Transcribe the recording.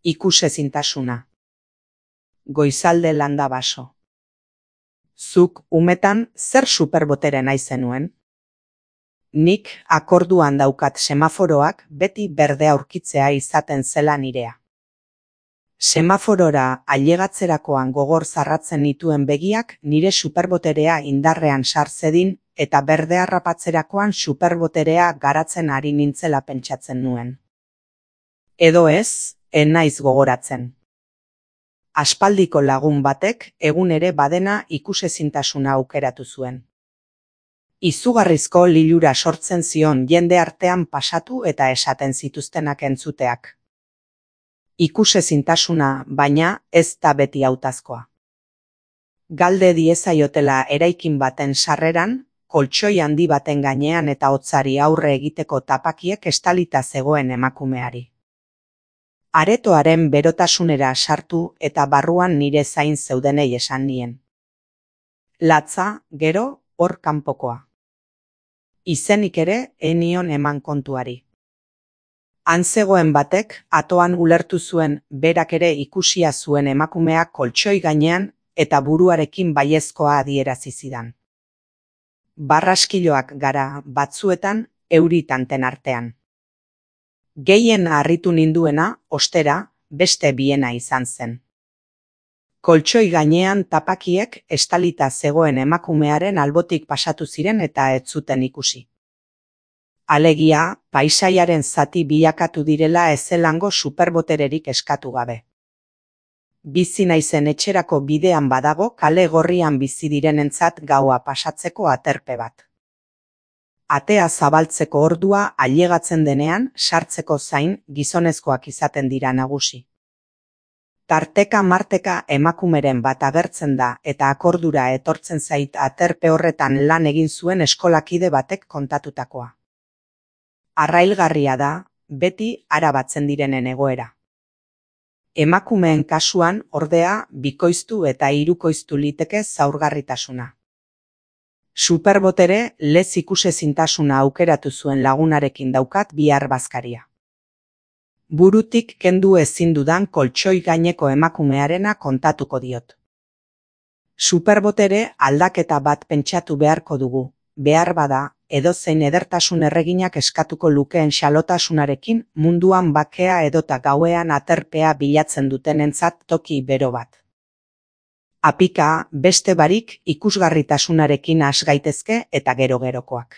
Ikusezintasuna. Goizalde landa baso. Zuk umetan zer superbotere nahi zenuen? Nik akorduan daukat semaforoak beti berdea aurkitzea izaten zela nirea. Semaforora ailegatzerakoan gogor zarratzen nituen begiak nire superboterea indarrean sartzedin eta berdea harrapatzerakoan superboterea garatzen ari nintzela pentsatzen nuen. Edo ez, naiz gogoratzen. Aspaldiko lagun batek egun ere badena ikusezintasuna aukeratu zuen. Izugarrizko lilura sortzen zion jende artean pasatu eta esaten zituztenak entzuteak. Ikusezintasuna, baina, ez da beti hautazkoa. Galde diezaiotela eraikin baten sarreran, koltxoi handi baten gainean eta hotzari aurre egiteko tapakiek estalita zegoen emakumeari. Aretoaren berotasunera sartu eta barruan nire zain zeudenei esan nien. Latza, gero, hor kanpokoa. Izenik ere enion eman kontuari. Han zegoen batek atoan ulertu zuen berak ere ikusia zuen emakumeak koltxoi gainean eta buruarekin baiezkoa adierazi zidan. Barraskiloak gara batzuetan euri tanten artean. Gehien harritu ninduena, ostera, beste biena izan zen. Koltxoi gainean tapakiek estalita zegoen emakumearen albotik pasatu ziren eta ez zuten ikusi. Alegia, paisaiaren zati bilakatu direla ezelango superbotererik eskatu gabe. Bizi naizen etxerako bidean badago kale gorrian bizi direnentzat gaua pasatzeko aterpe bat. Atea zabaltzeko ordua ailegatzen denean, sartzeko zain gizonezkoak izaten dira nagusi. Tarteka-marteka emakumeren bat agertzen da eta akordura etortzen zait aterpe horretan lan egin zuen eskolakide batek kontatutakoa. Arrailgarria da, beti arabatzen direnen egoera. Emakumeen kasuan, ordea, bikoiztu eta hirukoiztu liteke zaurgarritasuna. Superbotere lez ikusezintasuna aukeratu zuen lagunarekin daukat bihar bazkaria. Burutik kendu ezin dudan koltxoi gaineko emakumearena kontatuko diot. Superbotere aldaketa bat pentsatu beharko dugu, behar bada, edozein edertasun erreginak eskatuko lukeen xalotasunarekin munduan bakea edota gauean aterpea bilatzen dutenentzat toki bero bat. Apika beste barik ikusgarritasunarekin has gaitezke eta gero-gerokoak.